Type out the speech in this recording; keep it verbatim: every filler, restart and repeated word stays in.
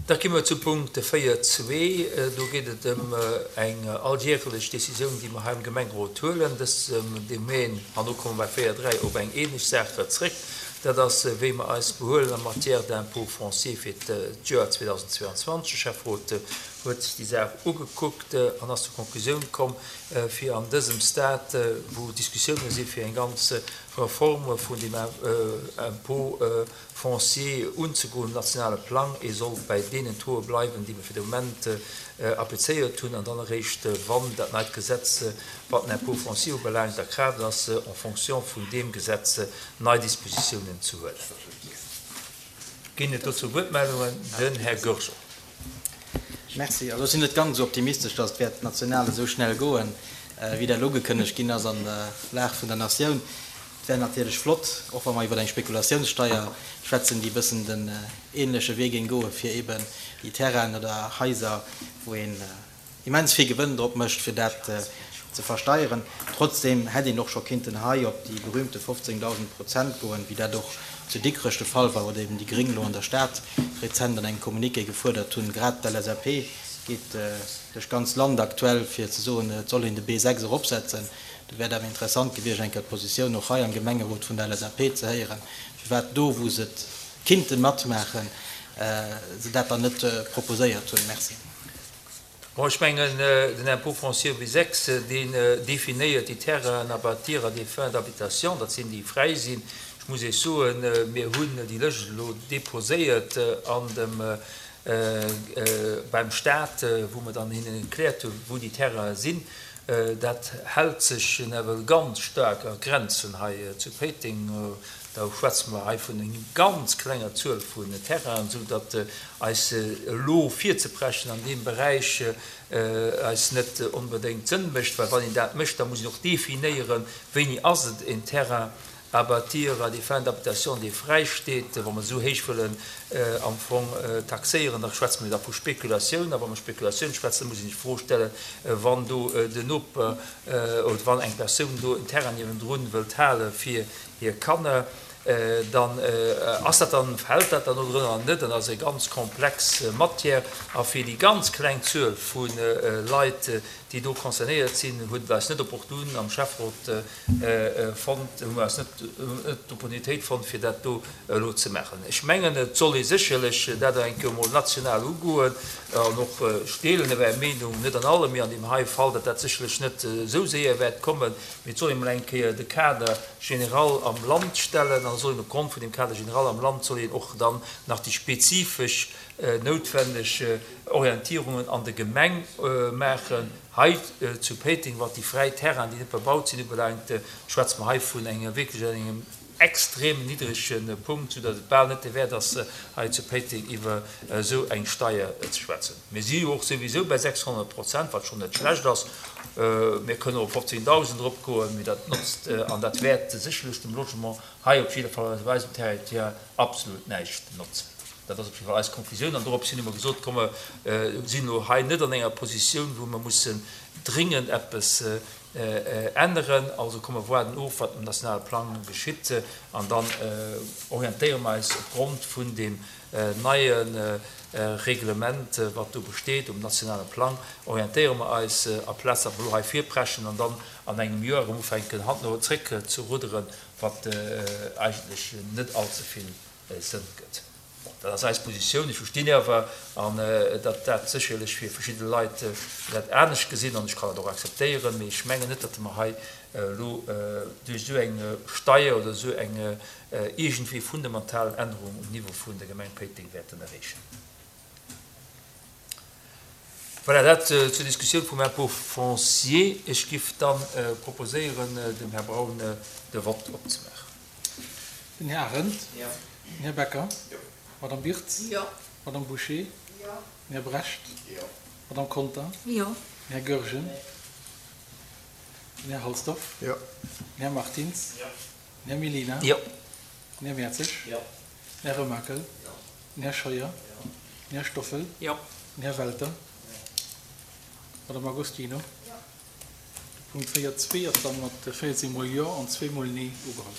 Da gi mer zum Punkt véier zwee. Do geet et ëm eng alljärelech Décisioun, déi mer hei am Gemengerot huelen. Dësem Domaine, an do komme mer bei véier dräi op eng ähnlech Saach zréck, dat ass, wéi mer eis behuelen en matière d'impôt foncier fir d'Joer zweedausendzweeanzwanzeg. De Schäfferot huet sech déi Saach ugekuckt an ass zur Konklusioun komm, fir an dësem Stade, wou Diskussioune si fir eng ganz Reform vun dem Impôt foncier unzegoen um nationale Plang, ee soll bäi deenen Tauxe bleiwen, déi mer fir de Moment applizéiert hunn, an dann eréischt, wann dat neit Gesetz, wat den Impôt foncier ubelaangt, a Kraaft ass, en fonction vun deem Gesetz nei Dispositiounen ze huelen. Ginn et dozou Wuertmeldungen? Den Här Goergen. Merci. Also ech sinn net ganz esou optimistesch, datt et wäert national esou schnell goen, wéi dat elo ugekënnegt ginn ass an der Lag vun der Natioun. Et wär natierlech flott, och wa mer iwwer eng Spekulatiounssteier schwätzen, déi e bëssen den ähnleche Wee géing goen, fir eben déi Terrainen oder Haiser, wou een immens vill Gewënn drop mécht, fir dat ze versteieren. Trotzdem hätt een och scho kinnten hei op déi berühmte fofzéngdausend Prozent goen, wéi dat och zu Dikrech de Fall war oder eben déi Gréng elo an der Stad rezent an engem Communiqué gefuerdert hunn. Grad d'L S A P geet duerch d'ganz Land aktuell, fir ze soen, et soll een de B sechs eropsetzen. Do wär et awer interessant gewiescht, eng Kéier d'Positioun och hei am Gemengerot vun der L S A P ze héieren, firwat do, wou se et kinnte matmaachen, se dat dann net proposéiert hunn. Merci. Bon, ech mengen, den Impôt foncier B sechs, deen definéiert déi Terrainen à bâtir à des fins d'habitation, dat sinn déi fräi sinn. Ech muss Iech soen, mir hunn déi Lëscht elo déposéiert an dem, beim Stat, wou mer dann hinnen erkläert hunn, wou déi Terrainen sinn. Dat hält sech nawell ganz staark a Grenzen hei zu Péiteng. Da schwätze mer hei vun enger ganz klenger Zuel vun Terrainen, esou datt eis elo virzeprechen an deem Beräich eis net onbedéngt Sënn mécht, well wann een dat mécht, da muss een och definéieren, wéini ass et en Terrain à bâtir à des fins d'habitation, dee fräisteet. Wa mer esou héich wëllen am Fong taxéieren, da schwätze mer da vu Spekulatioun. A wa mer Spekulatioun schwätzen, da muss een sech d'Fro stellen, wann do den Noper oder wann eng Persoun do en Terrain niewendrun wëllt hale fir hir Kanner, dann ass dat dann, fält dat dann do drënner oder net? Dat ass eng ganz komplex Matière. A fir déi ganz kleng Zuel vu Leit, déi do concernéiert sinn, huet et eis net opportun am Schäfferot fonnt, hu mer eis net d'Opportunitéit fonnt, fir dat do elo ze maachen. Ech mengen, et soll ee sécherlech dat eng Kéier emol national ugoen an och, ech deelen Är Meenung net an allem, mee an deem hei Fall, datt dat sécherlech net esou séier wäert kommen, mee et soll ee mol eng Kéier de Kader général am Land stellen an et soll een opgrond vun deem Cadre général am Land soll een och dann nach déi spezifesch noutwenneg Orientierungen an der Gemeng maachen. Hei zu Péiteng, wat déi fräi Terrainen, déi net bebaut sinn, ubelaangt, schwätze mer hei vun engem wierklech engem extrem niddrege Punkt, soudatt et bal net derwäert ass, hei zu Péiteng iwwer esou eng Steier ze schwätzen. Mir si jo och souwisou bei sechshonnert Prozent, wat schonn net schlecht ass. Mir kënnen och op fofzéngdausend eropgoen, mee dat notzt an dat wäert sécherlech dem Logement hei op jidde Fall op eisem Territoire absolut näischt notzen. Dat ass op jidde Fall eis Konklusioun an dorops hin hu mer gesot, komm mer sinn elo hei net an enger Positioun, wou mer mussen dringend eppes änneren, also komm mer waarden of, wat um nationale Plang geschitt an dann orientéiere mer eis opgrond vun deem neie Reglement, wat do besteet um nationale Plang, orientéiere mer eis, aplaz datt mer elo hei virpreschen an dann an engem Joer erëm ufänken hanneno zréck ze rudderen, wat eigentlech net allze vill Sënn gëtt. Bon, dat ass eis Positioun. Ech verstinn awer, an datt dat sécherlech fir verschidde Leit dat anescht gesinn, an ech kann dat och akzeptéieren, mee ech mengen net, datt mer hei elo duerch esou eng Steier oder esou eng iergendwéi fundamental Ännerung um Niveau vun der Gemeng Péiteng wäerten erreechen. Voilà, dat zur Diskussioun vum Impôt foncier. Ech giff dann proposéieren, dem Här Braun de Vott opzemaachen. Den Här Arendt. Den Här Becker. D'Madame Birtz. D'Madame Bouché. Den Här Brecht. D'Madame Conter. Den Här Goergen. Den Här Halsdorf. Den Här Martins. Den Här Mellina. Den Här Mertzig. Den Här Remakel. Den Här Scheuer. Den Här Stoffel. Den Här Welter. D'Madame Agostino. De Punkt véier zwee ass dann mat véierzéng mol Jo an zwee mol Nee ugeholl.